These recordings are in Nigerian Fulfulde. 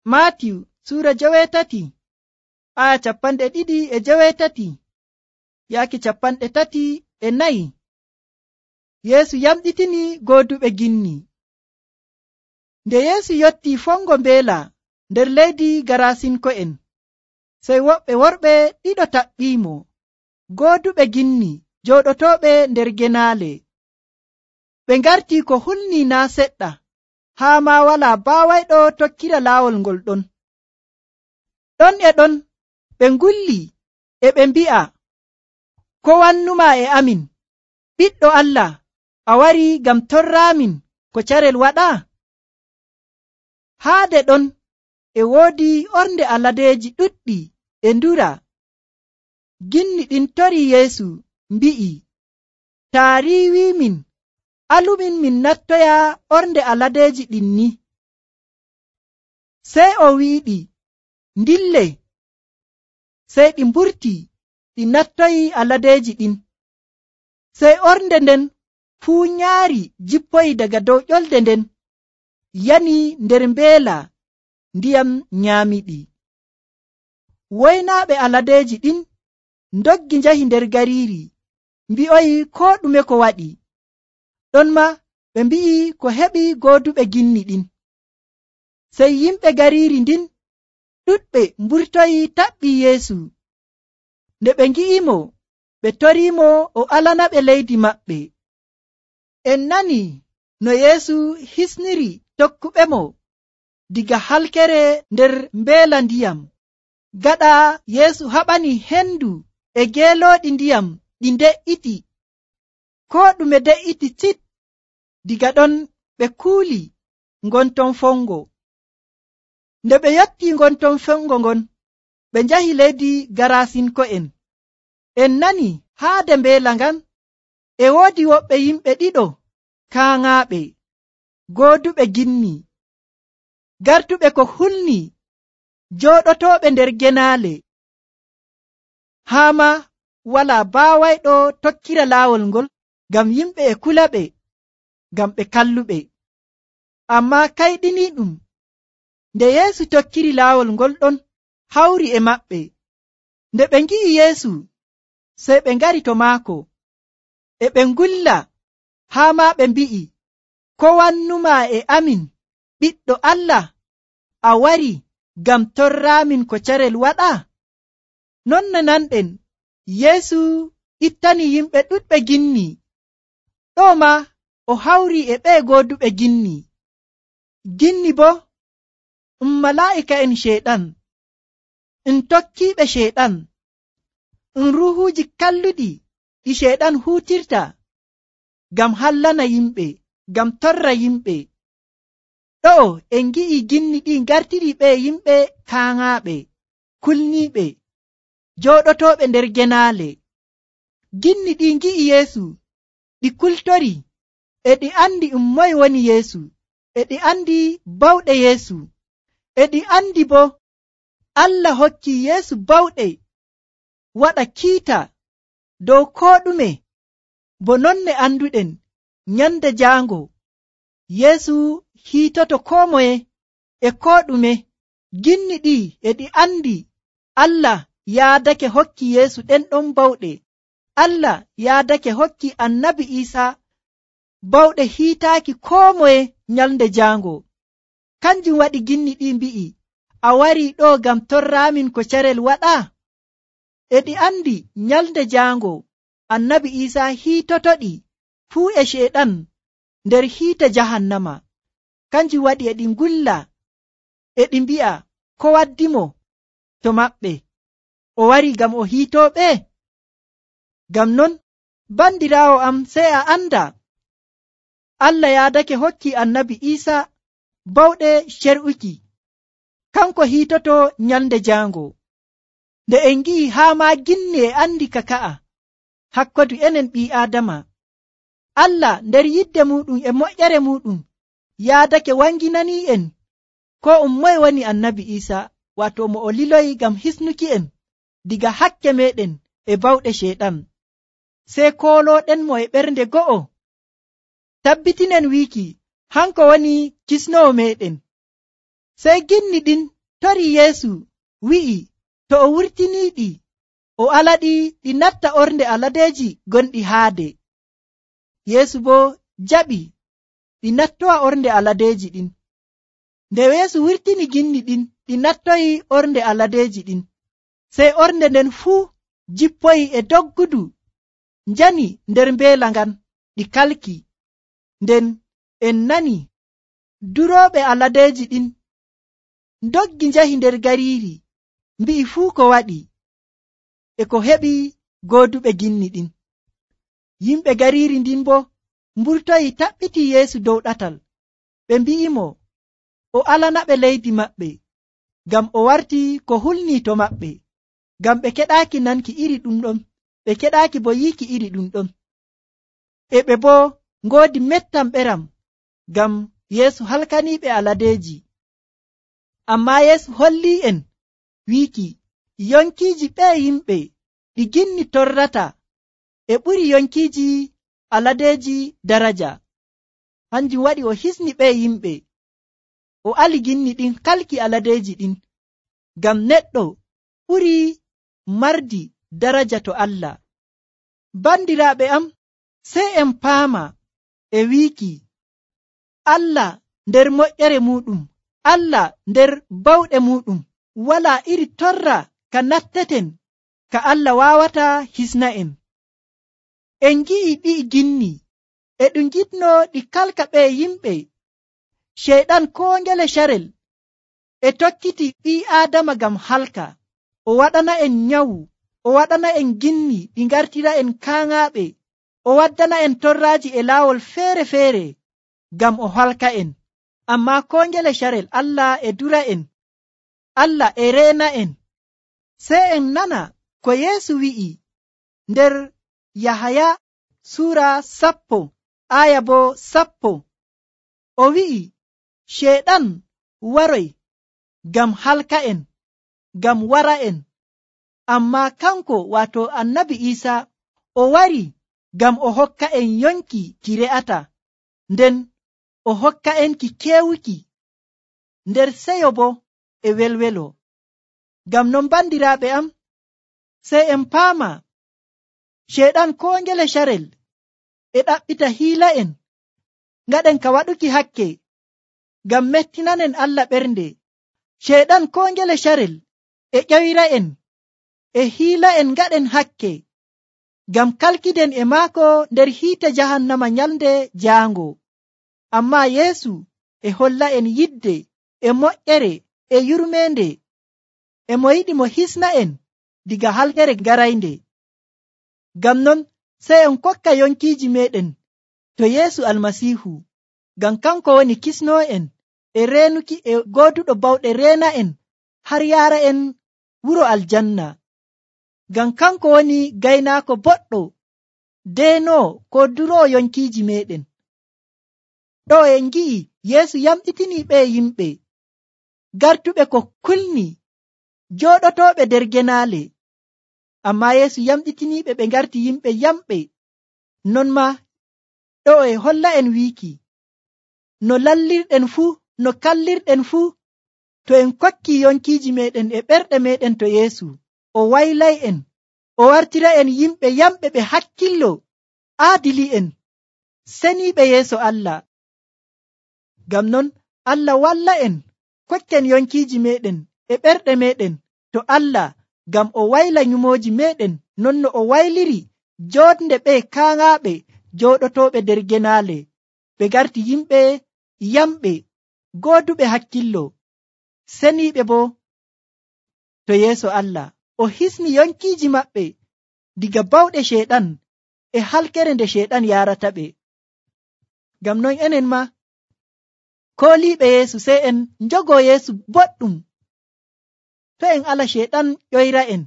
Maatiyu suura 8 aya 2:30 yaaki 34. Yeesu yamɗitini gooduɓe ginni. Nde Yeesu yotti fongo mbeela nder leydi Garasinko'en, sey woɓɓe worɓe ɗiɗo taɓɓimo, gooduɓe ginni jooɗotooɓe nder genaale. Ɓe ngarti ko hulni naa seɗɗa, haa maa walaa baawayɗo tokkira laawol ngol ɗon. Ɗon e ɗon ɓe ngulli e ɓe mbi'a, ko wannuma e amin, Ɓiɗɗo Allah, a wari ngam torraamin ko carel waɗa? Haade ɗon e woodi ornde aladeeji ɗuɗɗi e ndura. Ginni ɗin tori Yeesu mbi'i, taa riiwimin, alumin min nattoya ornde aladeeji ɗin ni. Sey o wi'iɗi, ndille. Sey ɗi mburti ɗi nattoyi aladeeji ɗin. Sey ornde nden fuu nyaari jippoyi daga dow ƴolde nden, yani nder mbeela ndiyam nyaamiɗi. Woynaaɓe aladeeji ɗin ndoggi njahi nder gariiri, mbi'oyi koo ɗume ko waɗi. Ɗonmaa ɓe mbi'i ko heɓi gooduɓe ginni ɗin. Sey yimɓe gariiri ndin ɗuɗɓe mburtoyi taɓɓi Yeesu. Nde ɓe ngi'imo, ɓe toriimo o alanaɓe leydi maɓɓe. En nani no Yeesu hisniri tokkuɓemo diga halkere nder mbeela ndiyam. Gaɗa Yeesu haɓani hendu e geelooɗi ndiyam ɗi de'iti. Koo ɗume de'iti tsit. Diga ɗon ɓe kuuli ngonton fongo. Nde ɓe yotti ngonton fongo ngon, ɓe njahi leydi Garasinko'en. En nani haade mbeela ngan e woodi woɓɓe yimɓe ɗiɗo kaaŋaaɓe, gooduɓe ginni, gartuɓe ko hulni, jooɗotooɓe nder genaale. Haa ma walaa baawayɗo tokkira laawol ngol, ngam yimɓe e kulaɓe, ngam ɓe kalluɓe. Ammaa kayɗiniiɗum, nde Yeesu tokkiri laawol ngol ɗon hawri e maɓɓe. Nde ɓe ngi'i Yeesu, sey ɓe ngari to maako, e ɓe ngulla, haa maa ɓe mbi'i, ko wannuma e amin, Ɓiɗɗo Allah, a wari ngam torraamin ko carel waɗa? Non no nanɗen, Yeesu ittani yimɓe ɗuɗɓe ginni. Ɗo ma o hawri e ɓe gooduɓe ginni. Ginni bo malaa'ika'en Ceyɗan, tokkiiɓe Ceyɗan, ruuhuuji kalluɗi ɗi Ceyɗan huutirta ngam hallana yimɓe, ngam torra yimɓe. Ɗo'o en ngi'i ginni ɗi ngartiri ɓe yimɓe kaaŋaaɓe, kulniiɓe, jooɗotooɓe nder genaale. Ginni ɗi ngi'i Yeesu, ɗi kultori, e ɗi andi moye woni Yeesu, e ɗi andi bawɗe Yeesu, e ɗi andi bo Allah hokki Yeesu bawɗe waɗa kiita dow koo ɗume. Bo nonne anduɗen, nyande jaango Yeesu hiitoto koo moye e koo ɗume. Ginni ɗi e ɗi andi Allah yaadake hokki Yeesu ɗen ɗon bawɗe. Allah yaadake hokki Annabi Iisaa bawɗe hiitaaki koo moye nyalnde jaango. Kanjum waɗi ginni ɗi mbi'i, a wari ɗo ngam torraamin ko carel waɗa? E ɗi andi nyalnde jaango Annabi Iisaa hiitotoɗi fuu e Ceyɗan nder hiite jahannama. Kanjum waɗi e ɗi ngulla, e ɗi mbi'a, ko waddimo to maɓɓe? O wari ngam o hiitooɓe? Ngam non, bandiraawo am, sey a anda, Allah yaadake hokki Annabi Iisaa bawɗe cer'uki, kanko hiitoto nyalnde jaango. Nde en ngi'i haa maa ginni e andi ka ka'a hakkodu enen ɓii Aadama, Allah nder yidde muɗum e moƴƴere muɗum yaadake wanginanii en ko moye woni Annabi Iisaa, waato mo o liloyi ngam hisnuki en diga hakke meɗen e bawɗe Ceyɗan. Sey koolooɗenmo e ɓernde go'o, tabbitinen wiiki hanko woni kisnowo meɗen. Sey ginni ɗin tori Yeesu wi'i to o wurtiniiɗi o alaɗi ɗi natta ornde aladeeji gonɗi haade. Yeesu boo jaɓi ɗi nattowa ornde aladeeji ɗin. Nde Yeesu wurtini ginni ɗin ɗi nattoyi ornde aladeeji ɗin, sey ornde nden fuu jippoyi e doggudu njani nder mbeela ngan ɗi kalki. Nden en nani durooɓe aladeeji ɗin ndoggi njahi nder gariiri mbi'i fuu ko waɗi e ko heɓi gooduɓe ginni ɗin. Yimɓe gariiri ndin boo mburtoyi taɓɓiti Yeesu dow ɗatal. Ɓe mbi'imo o alanaɓe leydi maɓɓe, ngam o warti ko hulnii to maɓɓe, ngam ɓe keɗaaki nanki iri ɗum ɗon, ɓe keɗaaki bo yiiki iri ɗum ɗon. E ɓe boo ngoodi mettam ɓeram ngam Yeesu halkaniiɓe aladeeji. Ammaa Yeesu hollii'en wiiki yonkiiji ɓee yimɓe ɗi ginni torrata e ɓuri yonkiiji aladeeji daraja. Hanjum waɗi o hisni ɓee yimɓe o ali ginni ɗin kalki aladeeji ɗin, ngam neɗɗo ɓuri mardi daraja to Allah. Bandiraaɓe am, sey en paama e wiiki Allah nder moƴƴere muuɗum, Allah nder bawɗe muuɗum, walaa iri torra ka natteten ka Allah waawata hisna'en. En ngi'i ɗi'i ginni e ɗum giɗno ɗi kalka ɓee yimɓe. Ceyɗan koo ngele carel e tokkiti ɓii Aadama ngam halka. O waɗana en nyawu, o waɗana en ginni ɗi ngartira en kaaŋaaɓe, o waddana en torraaji e laawol feere-feere ngam o halka en. Ammaa koo ngele carel Allah e dura en, Allah e reena en. Sey en nana ko Yeesu wi'i nder Yahaya suura 10 aya boo 10. O wi'i Ceyɗan waroy ngam halka en, ngam wara en, ammaa kanko waato Annabi Iisaa o wari ngam o hokka en yonki ki re'ata, nden o hokka en ki keewuki nder seyo boo e welwelo. Ngam non bandiraaɓe am, sey en paama Ceyɗan koo ngele carel e ɗaɓɓita hiila en ngaɗen ka waɗuki hakke ngam mettinanen Allah ɓernde. Ceyɗan koo ngele carel e ƴoyra en e hiila en ngaɗen hakke ngam kalkiden e maako nder hiite jahannama nyalnde jaango. Ammaa Yeesu e holla en yidde e moƴƴere e yurmeende, e mo yiɗi mo hisna en diga halkere garaynde. Ngam non sey en kokka yonkiiji meeɗen to Yeesu Almasiihu, ngam kanko woni kisnoo'en e reenuki e gooduɗo bawɗe reena en har yaara en wuro aljanna. Ngam kanko woni gaynaako boɗɗo deenoo ko duroo yonkiiji meeɗen. Ɗo en ngi'i Yeesu yamɗitinii ɓee yimɓe gartuɓe ko kulni, jooɗotooɓe nder genaale. Ammaa Yeesu yamɗitiniiɓe ɓe ngarti yimɓe yamɓe. Non maa ɗo e holla en wiiki no lallirɗen fuu, no kallirɗen fuu, to en kokki yonkiiji meeɗen e ɓerɗe meeɗen to Yeesu, o waylay'en, o wartira en yimɓe yamɓe ɓe hakkillo, aadili'en, seniiɓe yeeso Allah. Ngam non Allah walla en kokken yonkiiji meeɗen e ɓerɗe meeɗen to Allah, ngam o wayla nyumooji meeɗen non no o wayliri jootnde ɓee kaaŋaaɓe jooɗotooɓe nder genaale, ɓe garti yimɓe yamɓe, gooduɓe hakkillo, seniiɓe boo to yeeso Allah. O hisni yonkiiji maɓɓe diga bawɗe Ceyɗan e halkere nde Ceyɗan yaarata ɓe. Ngam non enen ma kooliiɓe Yeesu sey en njogoo Yeesu boɗɗum, to en ala Ceyɗan ƴoyra en.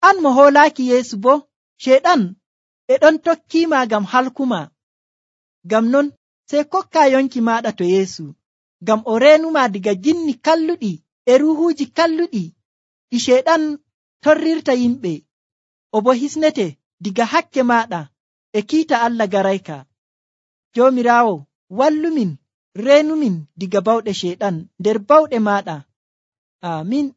An mo hoolaaki Yeesu boo, Ceyɗan e ɗon tokkiima ngam halkuma. Ngam non sey kokkaa yonki maaɗa to Yeesu, ngam o reenumaa diga ginni kalluɗi e ruuhuuji kalluɗi ɗi Ceyɗan torrirta yimɓe, o boo hisnete diga hakke maaɗa e kiita Allah garayka. Joomiraawo wallumin reenumin diga bawɗe sheyɗan nder bawɗe maɗa. Amin.